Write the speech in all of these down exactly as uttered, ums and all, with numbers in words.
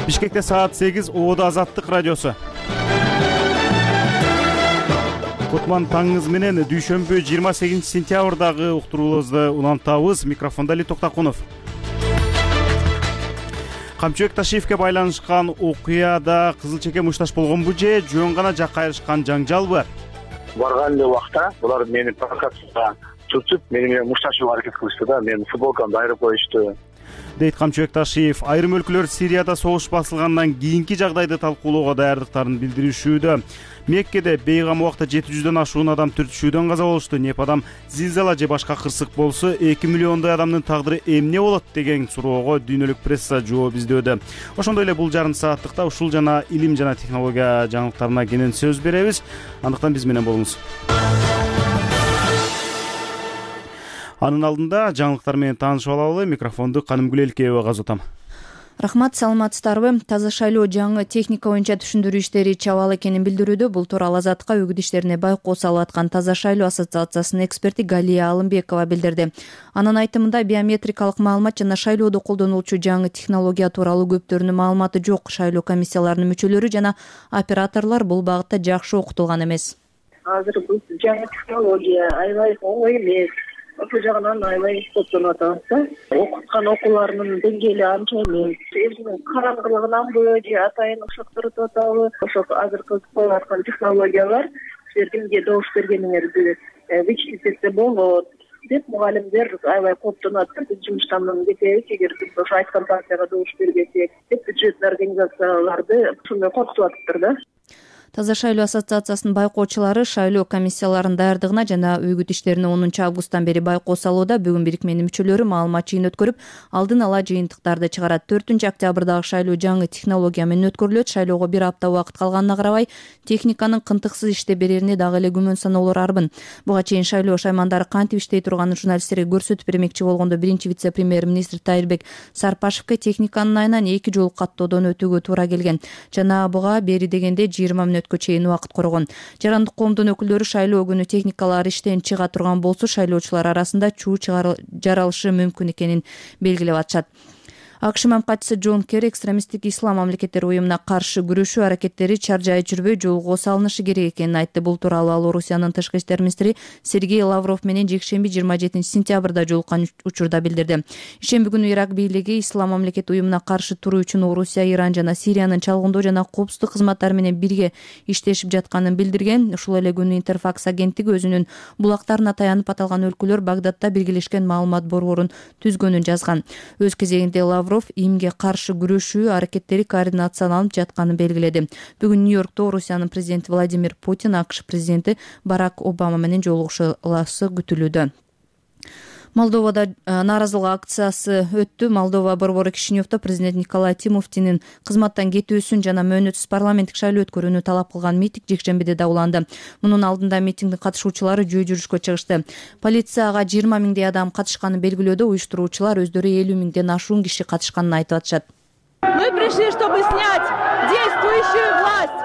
Бишкекте саат сегиз, Ободо Азаттык радиосу. Кутман таңыңыз менен дүйшөмбү жыйырма сегизинчи сентябрдагы уктурууларыбызды улантабыз. Микрофондо Али Токтакунов. Камчыбек Ташиевке байланышкан окуяда кызыл чеке мушташ болгонбу же жөн гана жакка айырышкан жаңжалбы? Барган эле убакта булар мени провокацияга чурчуп, мени менен мушташууга аракет кылышты да, менин футболкамды айырып коюшту, дейт Камчыбек Ташиев. Айрым өлкөлөр Сирияда согуш басылгандан кийинки жагдайды талкуулоого даярдыктарын билдиришүүдө. Меккеде бейгам убакта жети жүздөн ашуун адам түртүшүүдөн каза болушту. Непадам зилзала же башка кырсык болсо эки миллиондой адамдын тагдыры эмне болот деген суроого дүйнөлүк пресса жооп издөөдө. Ошондой эле бул жарым сааттыкта ушул жана илим жана технология жаңылыктарына кенен сөз беребиз. Андыктан биз менен болуңуз. Анын алдында жаңылыктар менен таанышып алалы. Микрофонду Канымгүл Элкеева казотам. Рахмат, саламатсыздарбы? Таза шайлоо жаңы техника боюнча түшүндүрүү иштери чабал экенин билдирүүдө. Бул тууралуу Азаттыкка өгүт иштерине байкоо салып аткан Таза шайлоо ассоциациясынын эксперти Галия Алымбекова билдирди. Анын айтымында биометрикалык маалымат жана шайлоодо колдонулчу жаңы технология тууралуу көптөрүнүн маалыматы жок. Шайлоо комиссияларынын мүчөлөрү жана операторлор бул багытта жакшы окутулган эмес. Азыр бул жаңы технология аябай оңой эмес. Ошол жагынан аябай топтонуп атабыз да. Окуткан окууларынын деңгээли анча эмес. Өзүнүн караңгылыгынанбы же атайын ошоктурутуп атабы? Ошол азыркы коюп аткан технологиялар силер кимге добуш бергениңерди вычислить болот деп мугалимдер аябай кооптонуп атат. Биз жумуштан кетебиз эгер биз ошо айткан партияга добуш бербесек деп бюджеттик организацияларды ушундай коркутуп атыптыр да. Таза шайлоо ассоциациясынын байкоочулары шайлоо комиссияларынын даярдыгына жана өгүт иштерине онунчу августтан бери байкоо салууда. Бүгүн бирикменин мүчөлөрү маалымат жыйын өткөрүп, алдын ала жыйынтыктарды чыгарат. төртүнчү октябрдагы шайлоо жаңы технология менен өткөрүлөт. Шайлоого бир апта убакыт калганына карабай, техниканын кынтыксыз иштей берерине дагы эле күмөн саноолор арбын. Буга чейин шайлоо шаймандары кантип иштей турганын журналисттерге көрсөтүп бермекчи болгондо биринчи вице-премьер-министр Тайырбек Сарпашевке техниканын айынан эки жолу каттоодон өтүүгө туура келген. Жана буга бери дегенде жыйырма мүнөткө чейин убакыт коргон. Жарандык коомдун өкүлдөрү шайлоо күнү техникалар иштен чыга турган болсо, шайлоочулар арасында чуу жаралышы мүмкүн экенин белгилеп атышат. АКШ мамлекетчиси Джон Керри экстремисттик ислам мамлекеттери уюмуна каршы күрөшүү аракеттери чаржай жүрбөй жолго салынышы керек экенин айтты. Бул тууралуу ал Орусиянын тышкы иштер министри Сергей Лавров менен жекшемби жыйырма жетинчи сентябрда жолуккан учурда билдирди. Ишемби күнү Ирак бийлиги ислам мамлекет уюмуна каршы туруу үчүн Орусия, Иран жана Сириянын чалгындоо жана коопсуздук кызматтары менен бирге иштешип жатканын билдирген. Ушул эле күнү Интерфакс агенттиги өзүнүн булактарына таянып аталган өлкөлөр Багдадта биргелешкен маалымат борборун түзгөнүн жазган. Өз кезегинде Лавров имге каршы күрөшүү аракеттери координацияланып жатканын белгиледи. Бүгүн Нью-Йоркто Орусиянын президенти Владимир Путин АКШ президенти Барак Обама менен жолугушуласы күтүлүүдө. Молдовада нааразылык акциясы өттү. Молдова борбору Кишиневдо президент Николай Тимофтинин кызматтан кетүүсүн жана мөөнөтсүз парламенттик шайлоо өткөрүүнү талап кылган митинг жекшембиде да уланды. Мунун алдында митингдин катышуучулары жөө жүрүшкө чыгышты. Полицияга жыйырма миңдей адам катышканын белгилөөдө уюштуруучулар өздөрү элүү миңден ашуун киши катышканын айтып атышат. Мы пришли, чтобы снять действующую власть.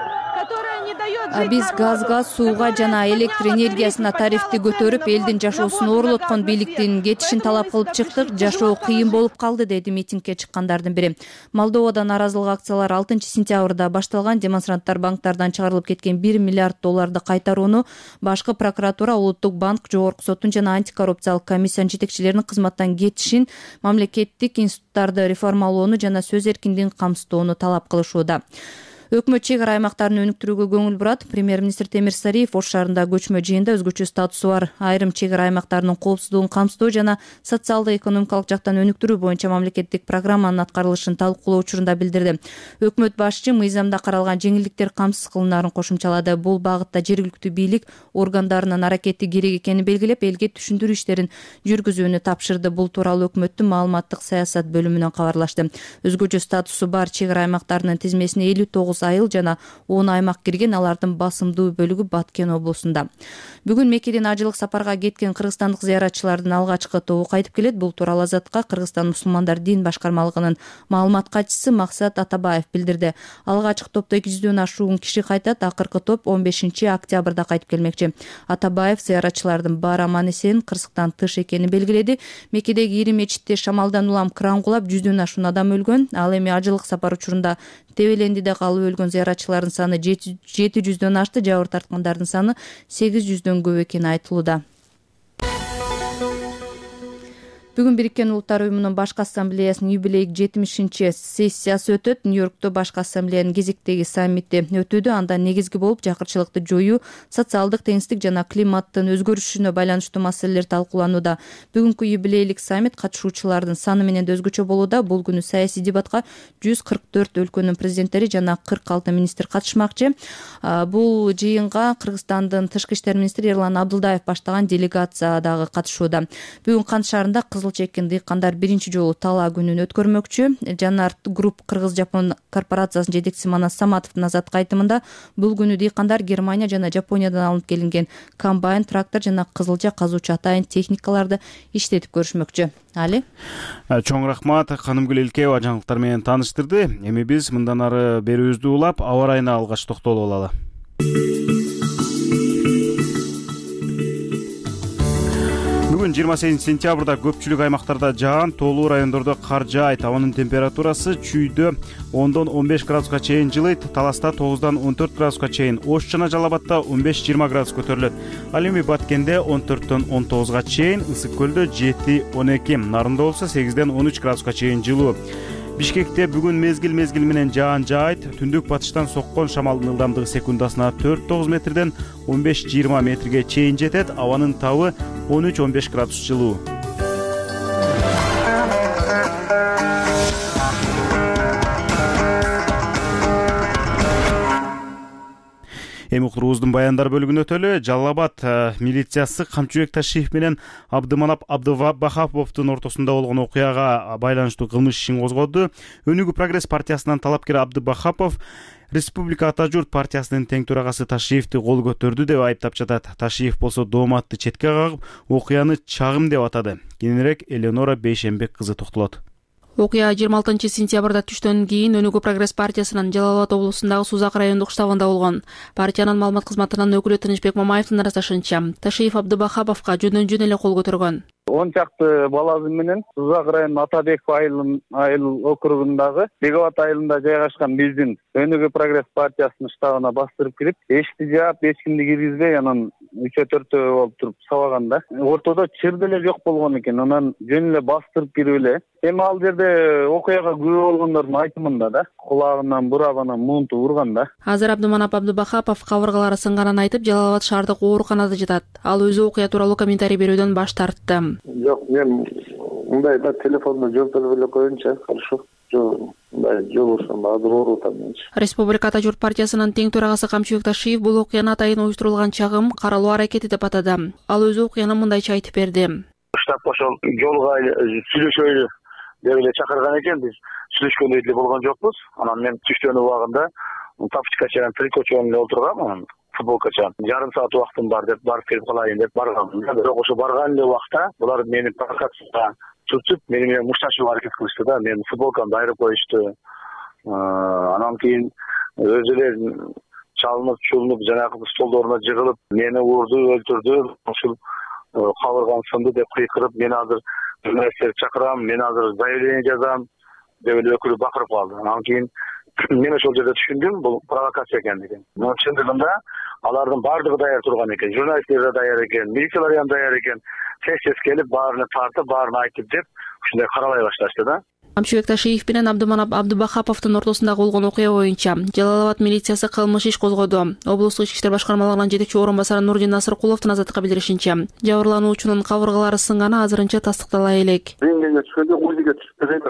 Биз газга, сууга жана электр энергиясына тарифти көтөрүп, элдин жашоосун оорлоткон бийликтин кетишин талап кылып чыктык. Жашоо кыйын болуп калды, деди митингге чыккандардын бири. Молдовада нааразылык акциялары алтынчы сентябрда башталган. Демонстранттар банктардан чыгарылып кеткен бир миллиард долларды кайтарууну башкы прокуратура, улуттук банк, жогорку соттун жана антикоррупциялык комиссиянын жетекчилеринин кызматтан кетишин, мамлекеттик институттарды реформалоону жана сөз эркиндигин камсыздоону талап кылышууда. Өкмөт чек ара аймактарын өнүктүрүүгө көңүл бурат. Премьер-министр Темир Сариев Ош шаарында көчмө жыйында өзгөчө статусу бар айрым чек ара аймактарынын коопсуздугун камсыздоо жана социалдык экономикалык жактан өнүктүрүү боюнча мамлекеттик программанын аткарылышын талкуулоо учурунда билдирди. Өкмөт башчы мыйзамда каралган жеңилдиктер камсыз кылынаарын кошумчалады. Бул багытта жергиликтүү бийлик органдарынын аракети керек экенин белгилеп, элге түшүндүрүү иштерин жүргүзүүнү тапшырды. Бул тууралуу өкмөттүн маалыматтык саясат бөлүмүнөн кабарлашты. Өзгөчө статусу бар чек ара аймактарынын тизмесине элүү тогуз тогуз айыл жана он аймак кирген, алардын басымдуу бөлүгү Баткен облусунда. Бүгүн Меккеден ажылык сапарга кеткен кыргызстандык зыяратчылардын алгачкы тобу кайтып келет. Бул тууралуу Азатка Кыргызстан мусулмандар дин башкармалыгынын маалымат катчысы Максат Атабаев билдирди. Алгачкы топто эки жүздөн ашуун киши кайтат. Акыркы топ он бешинчи октябрда кайтып келмекчи. Атабаев зыяратчылардын баары аман эсен Кыргызстан тыш экенин белгиледи. Меккедеги ири мечитте шамалдан улам кран кулап жүздөн ашуун адам өлгөн. Ал эми ажылык сапар учурунда Тебелендиде калып өлгөн зыяратчылардын саны жети жүздөн ашты, жабыр тарткандардын саны сегиз жүздөн көп экени айтылууда. Бүгүн Бириккен Улуттар уюмунун башкы ассамблеясынын юбилейдик жетимишинчи сессиясы өтөт. Нью-Йоркто башкы ассамблеянын кезектеги саммити өтүүдө. Анда негизги болуп жакырчылыкты жоюу, социалдык теңсиздик жана климаттын өзгөрүшүнө байланыштуу маселелер талкууланууда. Бүгүнкү юбилейлик саммит катышуучулардын саны менен да өзгөчө болууда. Бул күнү саясий дебатка жүз кырк төрт өлкөнүн президенттери жана кырк алты министр катышмакчы. Бул жыйынга Кыргызстандын тышкы иштер министри Эрлан Абдылдаев баштаган делегация дагы катышууда. Бүгүн Кант шаарында кызыл чеккен дыйкандар биринчи жолу талаа күнүн өткөрмөкчү. Жанар Групп Кыргыз-Жапон корпорациясынын жетекчиси Манас Саматовдун Азатка айтымында бул күнү дыйкандар Германия жана Жапониядан алынып келинген комбайн, трактор жана кызылча казуучу атайын техникаларды иштетип көрүшмөкчү. Али? Чоң рахмат, Канымгүл Илкеева жаңылыктар менен тааныштырды. Эми биз мындан ары берүүбүздү улап, аба ырайына алгач токтолуп алалы. Бүгүн жыйырма сегизинчи сентябрда көпчүлүк аймактарда жаан, тоолуу райондордо кар жаайт. Абанын температурасы чүйдө ондон он беш градуска чейин жылыйт, Таласта тогуздан он төрт градуска чейин, Ош жана Жалал Абадта он беш жыйырма градус көтөрүлөт. Ал эми Баткенде он төрттөн он тогузга чейин, Ысык көлдө жети он эки, Нарында болсо сегизден он үч градуска чейин жылуу. Бишкекте бүгүн мезгил мезгил менен жаан жаайт. Түндүк батыштан соккон шамалдын ылдамдыгы секундасына төрт тогуз метрден он беш жыйырма метрге чейин жетет. Абанын табы он үч он беш градус жылуу. Эми уктуруубуздун баяндар бөлүгүнө өтөлү. Жалал Абад милициясы Камчыбек Ташиев менен Абдыманап Абдыбахаповдун ортосунда болгон окуяга байланыштуу кылмыш ишин козгоду. Өнүгүү прогресс партиясынын талапкери Абдыбахапов Республика Ата журт партиясынын тең төрагасы Ташиевди кол көтөрдү деп айыптап жатат. Ташиев болсо дооматты четке кагып, окуяны чагым деп атады. Кийинирээк Эленора Бейшембек кызы токтолот. Окуя жыйырма алтынчы сентябрда түштөн кийин Өнүгүү прогресс партиясынын Жалал Абад облусундагы Сузак райондук штабында болгон. Партиянын маалымат кызматынын өкүлү Тынычбек Мамаевдин ырасташынча, Ташиев Абдыбахаповго жөндөн жөн эле кол көтөргөн. он чакты баласы менен Сузак районунун Атабеков айыл округундагы Беговат айылында жайгашкан биздин Өнүгүү прогресс партиясынын штабына бастырып кирип, эшикти жаап, эч кимди киргизбей, анан үчөө төртөө болуп туруп сабаганда, ортодо чыр деле жок болгон экен. Анан жөн эле бастырып кирип эле. Эми ал жерде окуяга күбө болгондордун айтымында да кулагынан бурап анан муунту урган да. Азыр Абдыманап Абдыбахапов кабыргалары сынганын айтып, Жалал Абад шаардык ооруканада жатат. Ал өзү окуя тууралуу комментарий берүүдөн баш тартты. Жок, мен мындай да телефонду жолтолуп эле коеюнчу, хорошо. Жок, мындай жолугушсам азыр оорутам менчи. Республика Ата журт партиясынын тең төрагасы Камчыбек Ташиев бул окуяны атайын уюштурулган чагым, каралуу аракети деп атады. Ал өзү окуяны мындайча айтып берди. Штаб ошол жолго сүйлөшөлү деп эле чакырган экен. Биз сүйлөшкөндөй деле болгон жокпуз. Анан мен түштөн убагында тапочкача менен трикочо менен отургам. Футболкачан жарым саат убактым бар деп барып келип калайын деп баргам. Бирок ошо барган эле убакта булар мени провокацияга түртүп, мени менен мушташууга аракет кылышты да. Менин футболкамды айырып коюшту. Анан кийин өзү эле чалынып, чулунуп, жанагы столдоруна жыгылып, мени урду, өлтүрдү. Ушул кабыргам сынды деп кыйкырып, мен азыр журналисттерди чакырам, мен азыр заявление жазам деп эле өкүлү бакырып калды. Анан кийин мен ошол жерде түшүндүм, бул провокация экендигин. Но чындыгында алардын баардыгы даяр турган экен, журналисттер да даяр экен, милициялар да даяр экен. Тез-тез келип, баарына тартып, баарына айтып деп, ушундай каралай башташты да. Камчыбек Ташиев менен Абдыманап Абдыбахаповдун ортосунда болгон окуя боюнча Жалал Абад милициясы кылмыш иш козгоду. Облустук ички иштер башкармалыгынын жетекчи орун басары Нурдин Насыркуловдун Азаттыкка билдиришинче, жабырлануучунун кабыргалары сынганы азырынча тастыктала элек. Рентгенге түшкөндө узиге түшүп элек,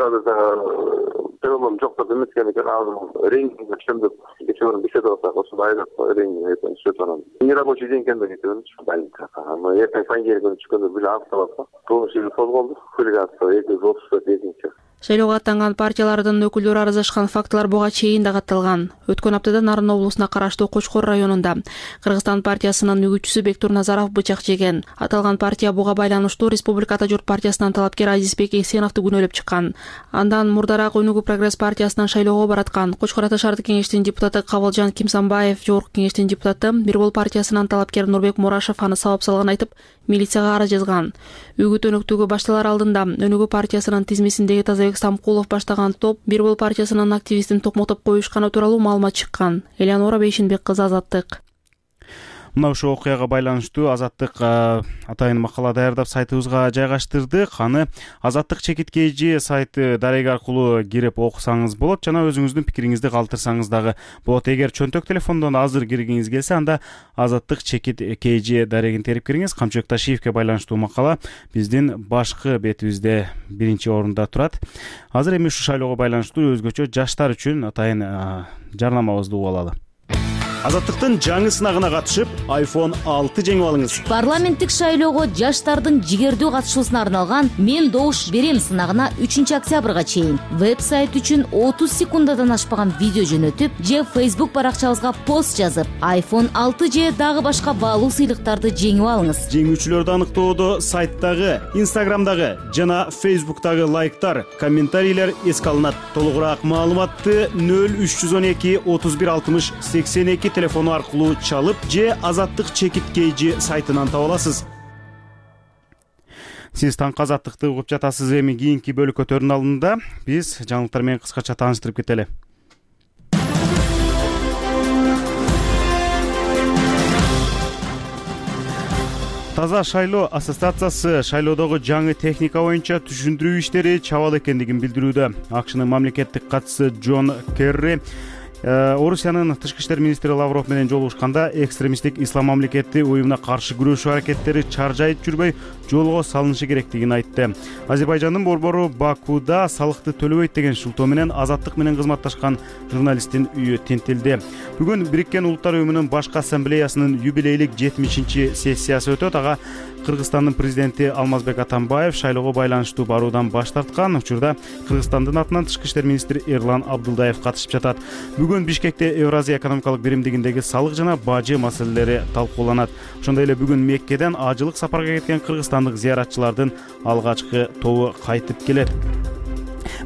телефон жок деп эметкен экен. Азыр рентгенге түшөм деп кечээ көрүн бишет болсак, ошондо айрып рентгенге түшүп анан. Нерабочий день экен деп кетип больницага. Аны эртең понедельник күнү түшкөндө биле аныкталат. Кылмыш иши козголду. Хулиганство эки жүз отуз төрт экинчи. Шайлоого аттанган партиялардын өкүлдөрү арыздашкан фактылар буга чейин да катталган. Өткөн аптада Нарын облусуна караштуу Кочкор районунда Кыргызстан партиясынын үгүтчүсү Бектур Назаров бычак жеген. Аталган партия буга байланыштуу Республика Ата журт партиясынан талапкер Азизбек Эксеновду күнөөлөп чыккан. Андан мурдараак Өнүгүү прогресс партиясынан шайлоого бараткан Кочкор Ата шаардык кеңештин депутаты Кабылжан Кимсанбаев, Жогорку кеңештин депутаты Бир Бол партиясынан талапкер Нурбек Мурашев аны сабап салганын айтып, милицияга арыз жазган. Үгүт өнөктүгү башталар алдында Өнүгүү партиясынын тизмесиндеги Тазабек Самкулов баштаган топ Бир Бол партиясынын активистин токмотоп коюшканы тууралуу маалымат чыккан. Элеонора Бейшинбек кызы, Азаттык. Мына ушул окуяга байланыштуу Азаттык атайын макала даярдап сайтыбызга жайгаштырдык. Аны Азаттык чекит kg сайты дареги аркылуу кирип окусаңыз болот жана өзүңүздүн пикириңизди калтырсаңыз дагы болот. Эгер чөнтөк телефондон азыр киргиңиз келсе, анда Азаттык чекит kg дарегин терип кириңиз. Камчыбек Ташиевке байланыштуу макала биздин башкы бетибизде биринчи орунда турат. Азыр эми ушул шайлоого байланыштуу өзгөчө жаштар үчүн атайын жарнамабызды угуп алалы. Азаттыктын жаңы сынагына катышып, айфон алты жеңип алыңыз. Парламенттик шайлоого жаштардын жигердүү катышуусуна арналган «Мен добуш берем» сынагына үчүнчү октябрга чейин веб-сайт үчүн отуз секундадан ашпаган видео жөнөтүп же Facebook баракчабызга пост жазып, айфон алты же дагы башка баалуу сыйлыктарды жеңип алыңыз. Жеңүүчүлөрдү аныктоодо сайттагы, Instagramдагы жана Facebooktагы лайктар, комментарийлер эске алынат. Толугураак маалыматты нөл үч жүз он эки отуз бир алтымыш сексен эки телефону аркылуу чалып же Азаттык чекит kg сайтынан таба аласыз. Сиз таңкы Азаттыкты угуп жатасыз. Эми кийинки бөлүккө төрүн алдында биз жаңылыктар менен кыскача тааныштырып кетели. Таза шайлоо ассоциациясы шайлоодогу жаңы техника боюнча түшүндүрүү иштери чабал экендигин билдирүүдө. АКШнын мамлекеттик катчысы Джон Керри Орусиянын тышкы иштер министри Лавров менен жолугушканда экстремисттик ислам мамлекети уюмуна каршы күрөшүү аракеттери чаржайып жүрбөй жолго салынышы керектигин айтты. Азербайжандын борбору Бакуда салыкты төлөбөйт деген шылтоо менен Азаттык менен кызматташкан журналисттин үйү тинтилди. Бүгүн Бириккен Улуттар уюмунун башкы ассамблеясынын юбилейлик жетимишинчи сессиясы өтөт. Ага Кыргызстандын президенти Алмазбек Атамбаев шайлоого байланыштуу баруудан баш тарткан. Учурда Кыргызстандын атынан тышкы иштер министри Эрлан Абдулдаев катышып жатат. Бүгүн Бишкекте Евразия экономикалык биримдигиндеги салык жана бажы маселелери талкууланат. Ошондой эле бүгүн Меккеден ажылык сапарга кеткен кыргызстандык зыяратчылардын алгачкы тобу кайтып келет.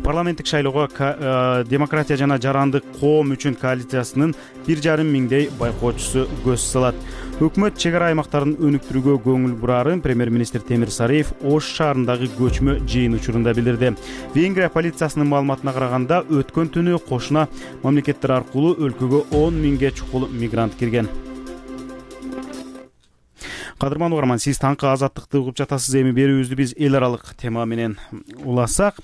Парламенттик шайлоого демократия жана жарандык коом үчүн коалициясынын бир жарым миңдей байкоочусу көз салат. Өкмөт чек ара аймактарын өнүктүрүүгө көңүл бурарын премьер-министр Темир Сариев Ош шаарындагы көчмө жыйын учурунда билдирди. Венгрия полициясынын маалыматына караганда, өткөн түнү кошуна мамлекеттер аркылуу өлкөгө он миңге чукул мигрант кирген. Кадырман угарман, сиз таңкы Азаттыкты угуп жатасыз. Эми берүүбүздү биз эл аралык тема менен уласак.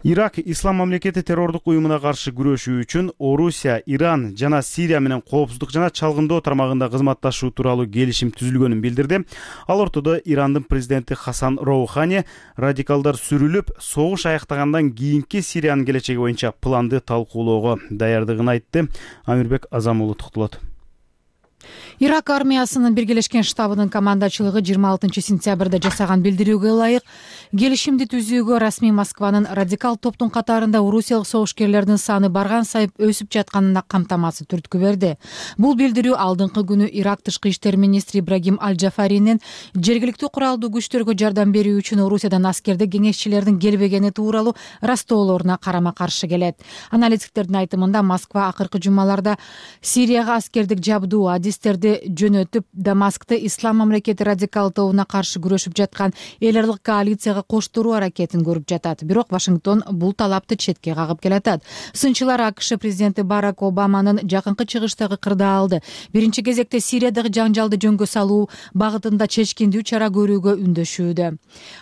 Ирак ислам мамлекети террордук уюмуна каршы күрөшүү үчүн Орусия, Иран жана Сирия менен коопсуздук жана чалгындоо тармагында кызматташуу тууралуу келишим түзүлгөнүн билдирди. Ал ортодо Ирандын президенти Хасан Роухани радикалдар сүрүлүп, согуш аяктагандан кийинки Сириянын келечеги боюнча планды талкуулоого даярдыгын айтты. Амирбек Азамулу токтолот. Ирак армиясынын биргелешкен штабынын командачылыгы жыйырма алтынчы сентябрда жасаган билдирүүгө ылайык келишимди түзүүгө расмий Москванын радикал топтун катарында орусиялык согушкерлердин саны барган сайып өсүп жатканына камтамасыз түрткү берди. Бул билдирүү алдыңкы күнү Ирак тышкы иштер министри Ибрагим Аль-Джафаринин жергиликтүү куралдуу күчтөргө жардам берүү үчүн Орусиядан аскердик кеңешчилердин келбегени тууралуу растоолоруна карама-каршы келет. Аналитиктердин айтымында Москва акыркы жумаларда Сирияга аскердик жабдуу адистерди жөнөтүп, Дамаскты ислам мамлекети радикал тобуна каршы күрөшүп жаткан эл аралык коалицияга коштуруу аракетин көрүп жатат. Бирок Вашингтон бул талапты четке кагып келатат. Сынчылар АКШ президенти Барак Обаманын жакынкы чыгыштагы кырдаалды биринчи кезекте Сириядагы жаңжалды жөнгө салуу багытында чечкиндүү чара көрүүгө үндөшүүдө.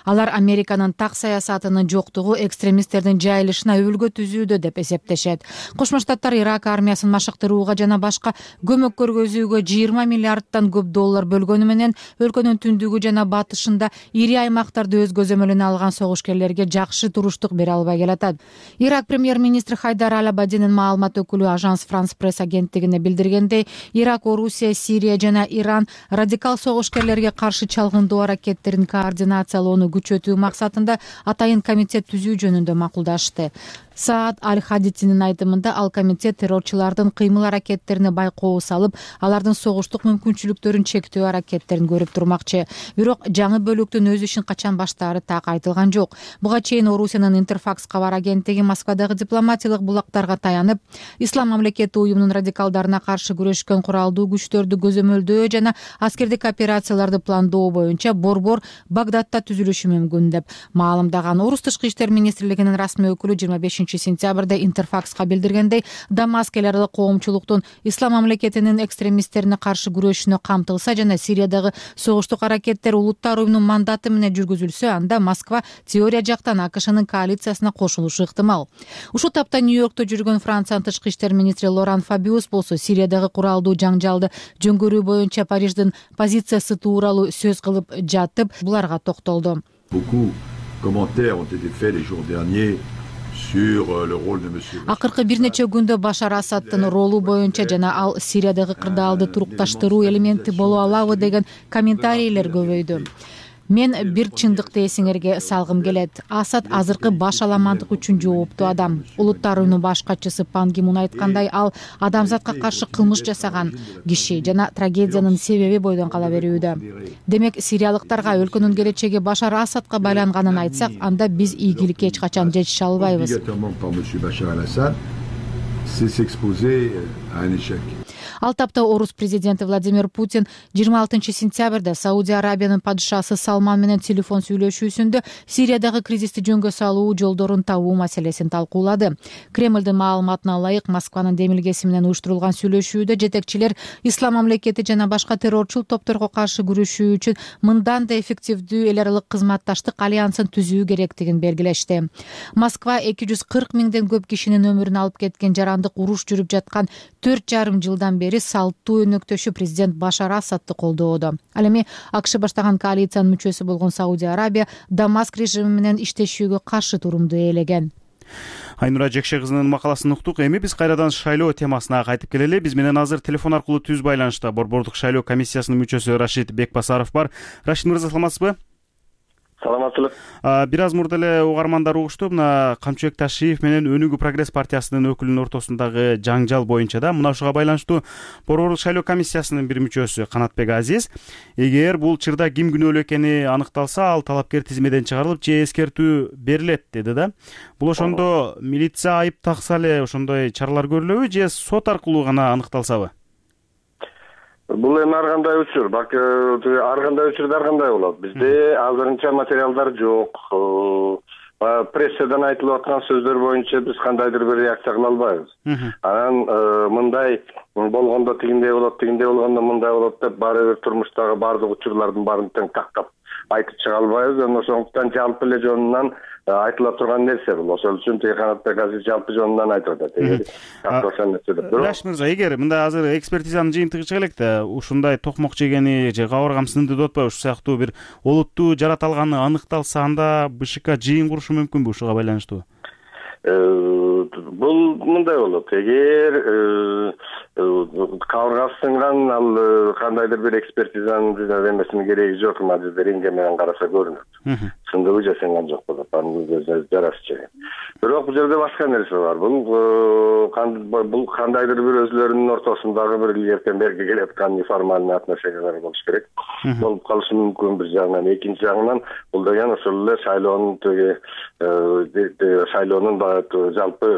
Алар Американын так саясатынын жоктугу экстремисттердин жайылышына өбөлгө түзүүдө деп эсептешет. Кошмо Штаттар Ирак армиясын машыктырууга жана башка көмөк көргөзүүгө жыйырма миллиарддан көп доллар бөлгөнү менен өлкөнүн түндүгү жана батышында ири аймактарды өз көзөмөлүнө алган согушкерлерге жакшы туруштук бере албай келатат. Ирак премьер-министри Хайдар Аль-Абадинин маалымат өкүлү Ажанс Франс пресс агенттигине билдиргендей, Ирак, Орусия, Сирия жана Иран радикал согушкерлерге каршы чалгындоо аракеттерин координациялоону күчөтүү максатында атайын комитет түзүү жөнүндө макулдашты. Саад Аль-Хадитинин айтымында ал комитет террорчулардын кыймыл аракеттерине байкоо салып, алардын согуштук мүмкүнчүлүктөрүн чектөө аракеттерин көрүп турмакчы. Бирок жаңы бөлүктүн өз ишин качан баштаары так айтылган жок. Буга чейин Орусиянын Интерфакс кабар агенттиги Москвадагы дипломатиялык булактарга таянып, Ислам мамлекети уюмунун радикалдарына каршы күрөшкөн куралдуу күчтөрдү көзөмөлдөө жана аскердик операцияларды пландоо боюнча борбор Багдадта түзүлүшү мүмкүн деп маалымдаган. Орус тышкы иштер министрлигинин расмий өкүлү жыйырма бешинчи сентябрда Интерфакска билдиргендей, Дамаск эл аралык коомчулуктун Ислам мамлекетинин экстремисттерине каршы күрөшүнө камтылса жана Сириядагы согуштук аракеттер улуттар уюмунун мандаты менен жүргүзүлсө, анда Москва теория жактан АКШнын коалициясына кошулушу ыктымал. Ушул тапта Нью-Йоркто жүргөн Франциянын тышкы иштер министри Лоран Фабиус болсо Сириядагы куралдуу жаңжалды жөнгөрүү боюнча Париждин позициясы тууралуу сөз кылып жатып, буларга токтолду. Акыркы бир нече күндө Башар Асаддын ролу боюнча жана ал Сириядагы кырдаалды турукташтыруу элементи боло алабы деген комментарийлер көбөйдү. Мен бир чындыкты эсиңерге салгым келет. Асад азыркы баш аламандык үчүн жооптуу адам. Улуттар уюмунун баш катчысы Пан Ги Мун айткандай, ал адамзатка каршы кылмыш жасаган киши жана трагедиянын себеби бойдон кала берүүдө. Демек, сириялыктарга өлкөнүн келечеги Башар Асадка байланганын айтсак, анда биз ийгиликке эч качан жетише албайбыз. Ал тапта Орус президенти Владимир Путин жыйырма алтынчы сентябрда Саудия Арабиянын падышасы Салман менен телефон сүйлөшүүсүндө Сириядагы кризисти жөнгө салуу жолдорун табуу маселесин талкуулады. Кремлдин маалыматына ылайык, Москванын демилгеси менен уюштурулган сүйлөшүүдө жетекчилер Ислам мамлекети жана башка террорчул топторго каршы күрөшүү үчүн мындан да эффективдүү эл аралык кызматташтык альянсын түзүү керектигин белгилешти. Москва эки жүз кырк миңден көп кишинин өмүрүн алып кеткен жарандык уруш жүрүп жаткан төрт жарым жылдан бери салттуу өнөктөшү президент Башар Асадды колдоодо. Ал эми АКШ баштаган коалициянын мүчөсү болгон Саудия Арабия Дамаск режими менен иштешүүгө каршы турумду ээлеген. Айнура Жекше кызынын макаласын уктук. Эми биз кайрадан шайлоо темасына кайтып келели. Биз менен азыр телефон аркылуу түз байланышта борбордук шайлоо комиссиясынын мүчөсү Рашид Бекбасаров бар. Рашид мырза, саламатсызбы? Саламатсызбы. Бир аз мурда эле угармандар угушту, мына Камчыбек Ташиев менен Өнүгүү прогресс партиясынын өкүлүнүн ортосундагы жаңжал боюнча да мына ушуга байланыштуу борбордук шайлоо комиссиясынын бир мүчөсү Канатбек Азиз, эгер бул чырда ким күнөөлүү экени аныкталса, ал талапкер тизмеден чыгарылып, же эскертүү берилет деди да. Бул ошондо милиция айып такса эле ошондой чаралар көрүлөбү, же сот аркылуу гана аныкталсабы? Бул эми ар кандай учур, балки ар кандай учурда ар кандай болот. Бизде азырынча материалдар жок. Прессадан айтылып аткан сөздөр боюнча биз кандайдыр бир реакция кыла албайбыз. Анан мындай болгондо тигиндей болот, тигиндей болгондо мындай болот деп баары бир турмуштагы баардык учурлардын баарын тең тактап айтып чыга албайбыз. Ошондуктан жалпы эле жонунан айтыла турган нерсе бул. Ошол үчүн тиги Канатбек Азиз жалпы жонунан айтып атат. Раш мырза, эгер мындай азыр экспертизанын жыйынтыгы чыга элек да, ушундай токмок жегени же кабаргам сынды деп атпайбы, ушул сыяктуу бир олуттуу жараталганы аныкталса, анда БШК жыйын курушу мүмкүнбү ушуга байланыштуу? Бул мындай болот. Эгер кабыргасы сынган, ал кандайдыр бир экспертизанын эмесинин кереги жок, мына рентген менен караса көрүнөт. Сындыбы же сынган жок болот, анын жарасы чейин. Бирок бул жерде башка нерсе бар. Бул бул кандайдыр бир өзлөрүнүн ортосундагы бир илгертен берги келаткан неформальный отношениялар болуш керек. Болуп калышы мүмкүн бир жагынан. Экинчи жагынан бул деген ошол эле шайлоонун теги шайлоонун жалпы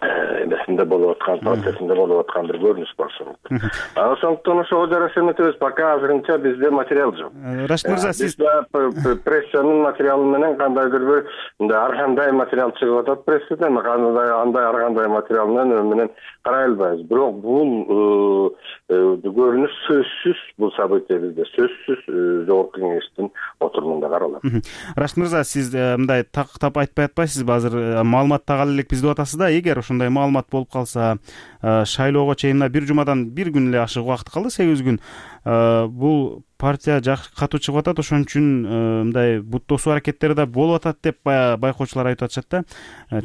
эмесинде болуп аткан, процессинде болуп аткан бир көрүнүш болушу мүмкүн. Анан ошондуктан ошого жараша эметебиз. Пока азырынча бизде материал жок. Рашид мырза, сиз прессанын материалы менен кандайдыр бир ар кандай материал чыгып атат прессадан, кандай андай ар кандай материал менен менен карай албайбыз. Бирок бул көрүнүш сөзсүз, бул события бизде сөзсүз жогорку кеңештин отурумунда каралат. Рашид мырза, сиз мындай тактап айтпай атпайсызбы? Азыр маалымат тагалы элек бизде атасыз да, эгер ошондой ошондой маалымат болуп калса, шайлоого чейин мына бир жумадан бир күн эле ашык убакыт калды, сегиз күн. Бул партия катуу чыгып атат, ошон үчүн мындай бут тосуу аракеттери да болуп атат деп байкоочулар айтып атышат да.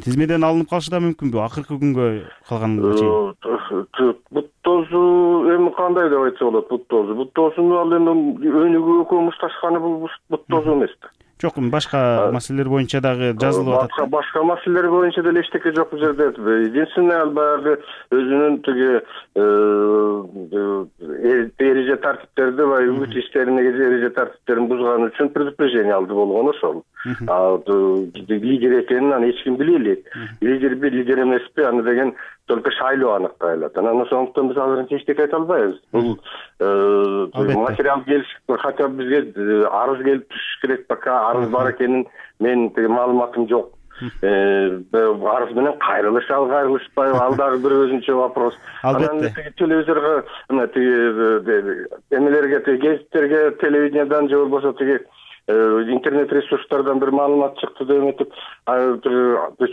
Тизмеден алынып калышы да мүмкүнбү акыркы күнгө калганга чейин? Бут тосуу эми кандай деп айтса болот? Бут тосуу бут тосууну ал эми өнүгүү экөө мушташканы бул бут тосуу эмес да. Жок, башка маселелер боюнча дагы жазылып атат. Башка маселелер боюнча деле эчтеке жок бул жерде. Единственное, ал баягы өзүнүн тиги эреже тартиптерди ва үгүт иштерине эреже тартиптерин бузган үчүн предупреждение алды болгон ошол. Лидер экенин аны эч ким биле элек. Лидерби, лидер эмеспи, аны деген только шайлоо аныктай алат. Анан ошондуктан биз азырынча эчтеке айта албайбыз. Бул материал келиш, хотя бы бизге арыз келип түшүш керек, пока арыз бар экенин мен тиги маалыматым жок. Арыз менен кайрылышабы, кайрылышпайбы, ал дагы бир өзүнчө вопрос. Анан тиги телевизорго, мына тиги эмелерге, тиги гезиттерге, телевидениедан же болбосо тиги интернет ресурстардан бир маалымат чыкты деп этип,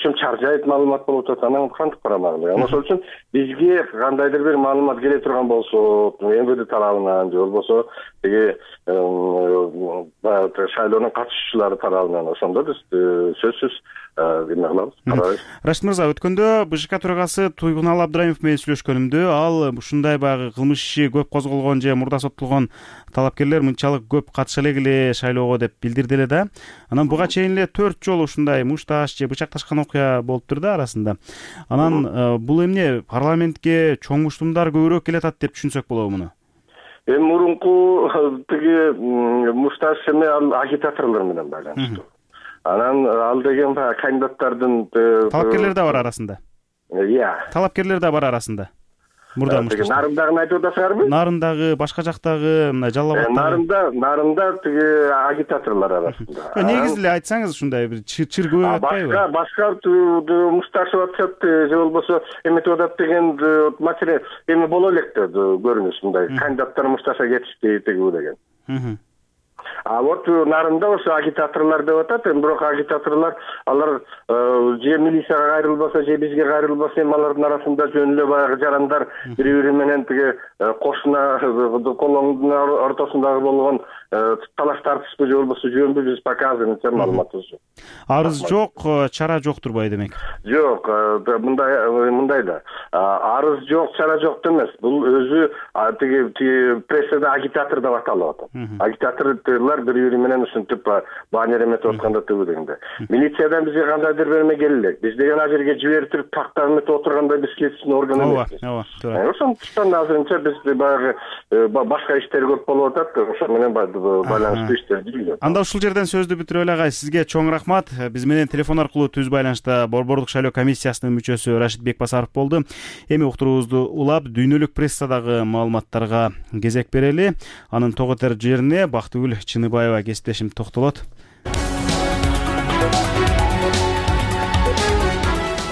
чым чаржайт маалымат болуп атат, анан кантип карамак. Ошол үчүн бизге кандайдыр бир маалымат келе турган болсо, МВД тарабынан же болбосо тиги шайлоонун катышуучулары тарабынан, ошондо биз сөзсүз эме кылабыз, карайбыз. Рашид мырза, өткөндө БШК төрагасы Туйгунал Абдраимов менен сүйлөшкөнүмдө, ал ушундай баягы кылмыш иши көп козголгон же мурда соттолгон талапкерлер мынчалык көп катыша эле шайлоого деп билдирди эле да. Анан буга чейин эле төрт жолу ушундай мушташ же бычакташкан окуя болуптур да арасында. Анан бул эмне парламентке чоң муштумдар көбүрөөк келатат деп түшүнсөк болобу муну? Эми мурунку тиги мушташ эме ал агитаторлор менен байланыштуу. Анан ал деген баягы кандидаттардын талапкерлер да бар арасында. Иә. Талапкерлер да бар арасында. Мурда мушташ. Нарындагы айтып атасыңарбы? Нарындагы, башка жактагы, мына Жалал абаддагы. Нарында, нарында тиги агитаторлор арасында. Негизи эле айтсаңыз ушундай бир чыр көбөйүп атпайбы? Башка, башка мушташып атышат же болбосо эметип атат деген маселе эми боло элек да көрүнүш мындай. Кандидаттар мушташа кетишти тиги деген. А вот нарында ошо агитаторлор деп атат, эми бирок агитаторлор алар же милицияга кайрылбаса, же бизге кайрылбаса, эми алардын арасында жөн эле баягы жарандар бири-бири менен тиги кошуна колоңдун ортосундагы болгон талаш тартышпы же болбосо жөнбү, биз пока азырынча маалыматыбыз жок. Арыз жок, чара жок турбайбы демек? Жок, мындай мындай да. Арыз жок, чара жок эмес. Бул өзү тиги прессада агитатор деп аталып атат. Агитаторлор бири-бири менен ушинтип баннер эметип атканда тыгы дегенде. Милициядан бизге кандайдыр бир эме келе элек. Биз деген ал жерге жибертип тактап эметип отурганда биз кетиштин орган эмеспиз. Ооба, ооба, туура. Ошондуктан азырынча биз баягы башка иштер көп болуп атат, ошо менен байланыштуу иштер жүрүп. Анда ушул жерден сөздү бүтүрө эле агай. Сизге чоң рахмат. Биз менен телефон аркылуу түз байланышта Борбордук шайлоо комиссиясынын мүчөсү Рашид Бекбасаров болду. Эми уктуруубузду улап, дүйнөлүк прессадагы маалыматтарга кезек берели. Анын тоготер жерине Бактыгүл Чыныбаева кесиптешим токтолот.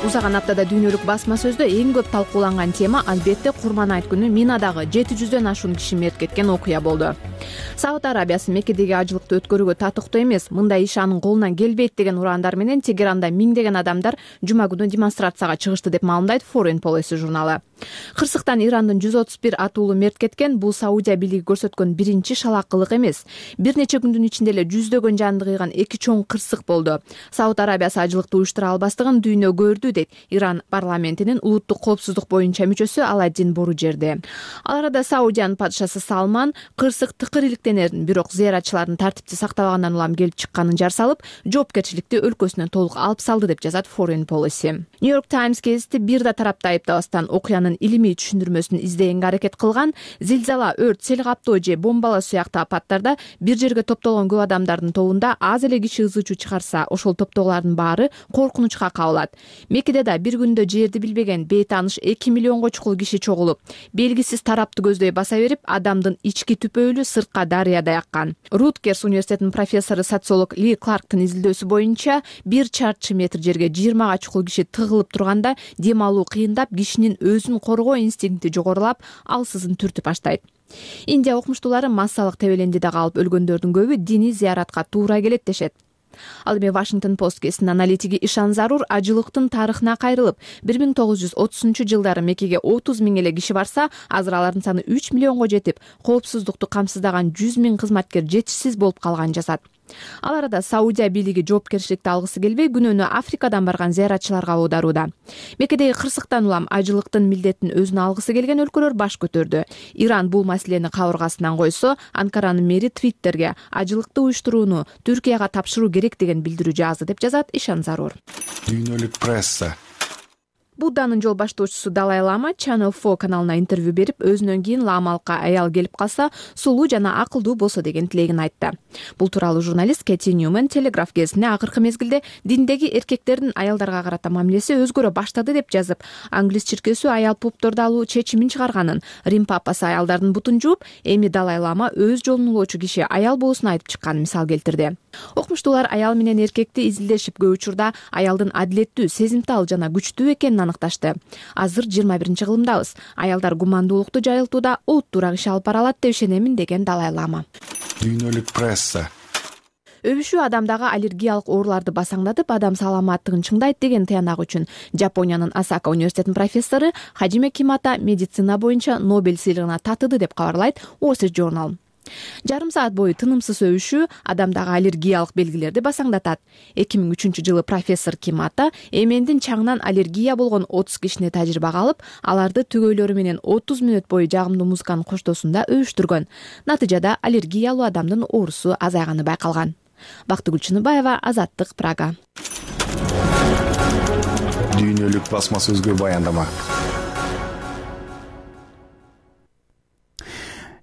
Узаган аптада дүйнөлүк басма сөздө эң көп талкууланган тема албетте Курман айт күнү Минадагы жети жүздөн ашуун киши мерт кеткен окуя болду. Сауд Арабиясы Меккедеги ажылыкты өткөрүүгө татыктуу эмес, мындай иш анын колунан келбейт деген ураандар менен Тегеранда миңдеген адамдар жума күнү демонстрацияга чыгышты деп маалымдайт Foreign Policy журналы. Кырсыктан Ирандын жүз отуз бир атуулу мерт кеткен, бул Саудия бийлиги көрсөткөн биринчи шалаакылык эмес. Бир нече күндүн ичинде эле жүздөгөн жанды кыйган эки чоң кырсык болду. Сауд Арабиясы ажылыкты уюштура албастыгын дүйнө көрдү дейт Иран парламентинин улуттук коопсуздук боюнча мүчөсү Аладдин Боружерди. Ал арада Саудиянын падышасы Салман кырсык тыкыр иликтенерин, бирок зыяратчылардын тартипти сактабагандан улам келип чыкканын жар салып, жоопкерчиликти өлкөсүнөн толук алып салды деп жазат Foreign Policy. New-York Times гезити бир да тарапты айыптабастан окуянын илимий түшүндүрмөсүн издегенге аракет кылган. Зилзала, өрт, сел каптоо же бомбалоо сыяктуу апаттарда бир жерге топтолгон көп адамдардын тобунда аз эле киши ызы чуу чыгарса, ошол топтогулардын баары коркунучка кабылат. Меккеде да бир күндө жерди билбеген бейтааныш эки миллионго чукул киши чогулуп, белгисиз тарапты көздөй баса берип, адамдын ички түпөөлү сыртка дарыядай аккан. Руткерс университетинин профессору социолог Ли Кларктын изилдөөсү боюнча, бир чарчы метр жерге жыйырмага чукул киши тыгылып турганда дем алуу кыйындап, кишинин өзүн коргоо инстинкти жогорулап, алсызын түртүп баштайт. Индия окумуштуулары массалык тебелендиде калып өлгөндөрдүн көбү диний зыяратка туура келет дешет. Ал эми Washington Post гезитинин аналитиги Ишан Зарур ажылыктын тарыхына кайрылып, бир миң тогуз жүз отузунчу жылдары Меккеге отуз миң эле киши барса, азыр алардын саны үч миллионго жетип, коопсуздукту камсыздаган жүз миң кызматкер жетишсиз болуп калганын жазат. Ал арада Саудия бийлиги жоопкерчиликти алгысы келбей, күнөөнү Африкадан барган зыяратчыларга аударууда. Меккедеги кырсыктан улам ажылыктын милдетин өзүнө алгысы келген өлкөлөр баш көтөрдү. Иран бул маселени кабыргасынан койсо, Анкаранын мэри Твиттерге ажылыкты уюштурууну Түркияга тапшыруу керек деген билдирүү жазды деп жазат Ишан Зарур. Дүйнөлүк пресса. Будданын жол баштоочусу Далай Лама Channel four каналына интервью берип, өзүнөн кийин ламалыкка аял келип калса, сулуу жана акылдуу болсо деген тилегин айтты. Бул тууралуу журналист Кэти Ньюман Телеграф гезитине акыркы мезгилде диндеги эркектердин аялдарга карата мамилеси өзгөрө баштады деп жазып, Англис чиркөөсү аял попторду алуу чечимин чыгарганын, Рим папасы аялдардын бутун жууп, эми Далай Лама өз жолун улоочу киши аял болуусун айтып чыкканын мисал келтирди. Окумуштуулар аял менен эркекти изилдешип, көп учурда аялдын адилеттүү, сезимтал жана күчтүү экенин аныкташты. Азыр жыйырма биринчи кылымдабыз. Аялдар гумандуулукту жайылтууда олуттуураак иш алып бара алат деп ишенемин деген Далай Лама. Дүйнөлүк пресса. Өбүшүү адамдагы аллергиялык ооруларды басаңдатып, адам саламаттыгын чыңдайт деген тыянак үчүн Жапониянын Осака университетинин профессору Хаджиме Кимата медицина боюнча Нобель сыйлыгына татыды деп кабарлайт Wall Street Journal. Жарым саат бою тынымсыз өбүшүү адамдагы аллергиялык белгилерди басаңдатат. эки миң үчүнчү жылы профессор Кимата эмендин чаңынан аллергия болгон отуз кишини тажрыйбага алып, аларды түгөйлөрү менен отуз мүнөт бою жагымдуу музыканын коштоосунда өбүштүргөн. Натыйжада аллергиялуу адамдын оорусу азайганы байкалган. Бактыгүл Чыныбаева, Азаттык, Прага. Дүйнөлүк басма сөзгө баяндама.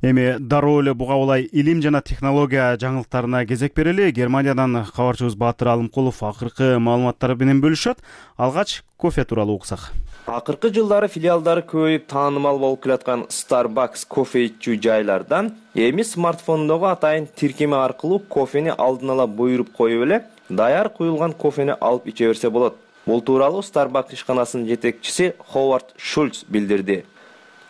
Эми дароо эле буга улай илим жана технология жаңылыктарына кезек берели. Германиядан кабарчыбыз Баатыр Алымкулов акыркы маалыматтар менен бөлүшөт. Алгач кофе тууралуу уксак. Акыркы жылдары филиалдары көбөйүп таанымал болуп келаткан Starbucks кофе ичүү жайлардан эми смартфондогу атайын тиркеме аркылуу кофени алдын ала буйруп коюп эле даяр куюлган кофени алып иче берсе болот. Бул тууралуу Starbucks ишканасынын жетекчиси Ховард Шульц билдирди.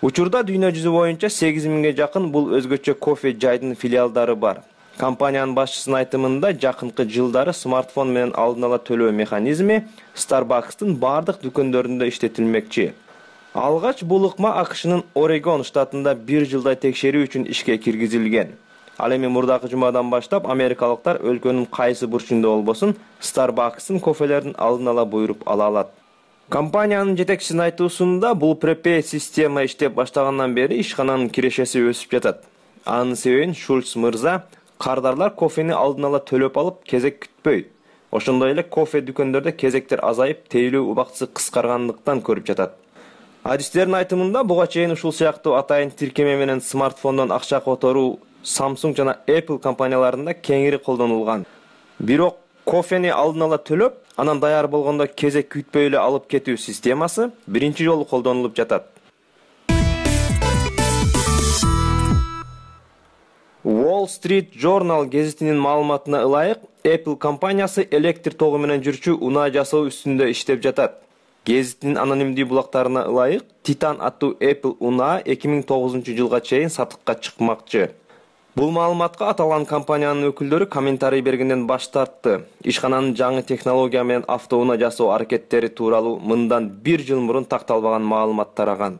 Учурда дүйнө жүзү боюнча сегиз миңге жакын бул өзгөчө кофе жайдын филиалдары бар. Компаниянын башчысынын айтымында жакынкы жылдары смартфон менен алдын ала төлөө механизми Starbucks'тын бардык дүкөндөрүндө иштетилмекчи. Алгач бул ыкма АКШнын Орегон штатында бир жылдай текшерүү үчүн ишке киргизилген. Ал эми мурдакы жумадан баштап америкалыктар өлкөнүн кайсы бурчунда болбосун Starbucks'тын кофелерин алдын ала буйруп ала алат. Компаниянын жетекчисинин айтуусунда бул препей система иштеп баштагандан бери ишкананын кирешеси өсүп жатат. Анын себебин Шульц мырза кардарлар кофени алдын ала төлөп алып кезек күтпөй. Ошондой эле кофе дүкөндөрдө кезектер азайып, тейлөө убактысы кыскаргандыктан көрүп жатат. Адистердин айтымында буга чейин ушул сыяктуу атайын тиркеме менен смартфондон акча которуу Samsung жана Apple компанияларында кеңири колдонулган. Бирок кофени алдын ала төлөп, анан даяр болгондо кезек күтпөй эле алып кетүү системасы биринчи жолу колдонулуп жатат. Wall Street Journal гезитинин маалыматына ылайык, Apple компаниясы электр тогу менен жүрчү унаа жасоо үстүндө иштеп жатат. Гезитинин анонимдүү булактарына ылайык, Titan аттуу Apple унаа эки миң тогузунчу жылга чейин сатыкка чыкмакчы. Бул маалыматка аталган компаниянын өкүлдөрү комментарий бергенден баш тартты. Ишкананын жаңы технология менен автоунаа жасоо аракеттери тууралуу мындан бир жыл мурун такталбаган маалымат тараган.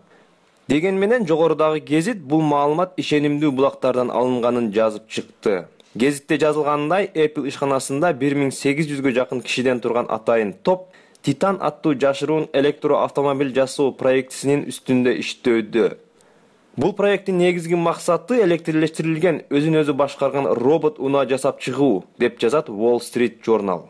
Деген менен жогорудагы гезит бул маалымат ишенимдүү булактардан алынганын жазып чыкты. Гезитте жазылгандай, Apple ишканасында бир миң сегиз жүзгө жакын кишиден турган атайын топ Titan аттуу жашыруун электроавтомобиль жасоо проектисинин үстүндө иштөөдө. Бул проекттин негизги максаты электрлештирилген, өзүн өзү башкарган робот унаа жасап чыгуу, деп жазат Wall Street Journal.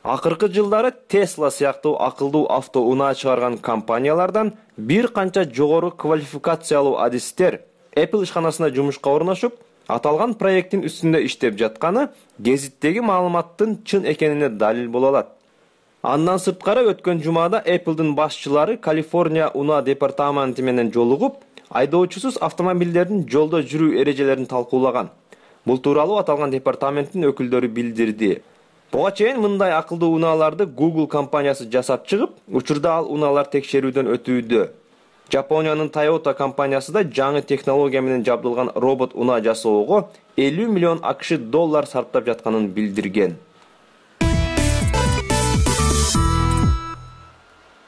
Акыркы жылдары Tesla сыяктуу акылдуу авто унаа чыгарган компаниялардан бир канча жогору квалификациялуу адистер Apple ишканасына жумушка орношуп, аталган проекттин үстүндө иштеп жатканы гезиттеги маалыматтын чын экенине далил боло алат. Андан сырткары өткөн жумада Apple'дын башчылары Калифорния унаа департаменти менен жолугуп, айдоочусуз автомобилдердин жолдо жүрүү эрежелерин талкуулаган. Бул тууралуу аталган департаменттин өкүлдөрү билдирди. Буга чейин мындай акылдуу унааларды Google компаниясы жасап чыгып, учурда ал унаалар текшерүүдөн өтүүдө. Жапониянын Toyota компаниясы да жаңы технология менен жабдылган робот унаа жасоого элүү миллион АКШ доллар сарптап жатканын билдирген.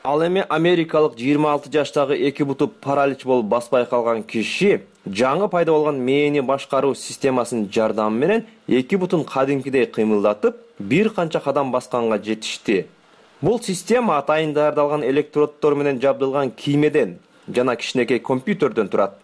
Ал эми америкалык жыйырма алты жаштагы эки буту паралич болуп баспай калган киши жаңы пайда болгон мээни башкаруу системасынын жардамы менен эки бутун кадимкидей кыймылдатып, бир канча кадам басканга жетишти. Бул система атайын даярдалган электроддор менен жабдылган киймеден жана кичинекей компьютерден турат.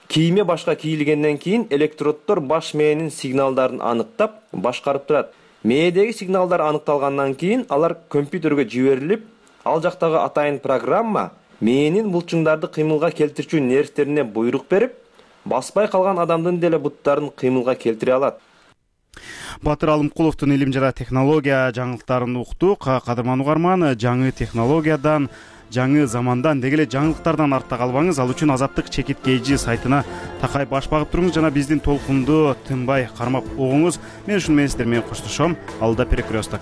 Кийме башка кийилгенден кийин электроддор баш мээнин сигналдарын аныктап, башкарып турат. Мээдеги сигналдар аныкталгандан кийин алар компьютерге жиберилип, ал жактагы атайын программа мээнин булчуңдарды кыймылга келтирчү нервтерине буйрук берип, баспай калган адамдын деле буттарын кыймылга келтире алат. Батыр Алымкуловдун илим жана технология жаңылыктарын уктук. Кадырман угарман, жаңы технологиядан, жаңы замандан, деги эле жаңылыктардан артта калбаңыз. Ал үчүн Азаттык чекит kg сайтына такай баш багып туруңуз жана биздин толкунду тынбай кармап угуңуз. Мен ушуну менен сиздер менен коштошом. Алда перекресток.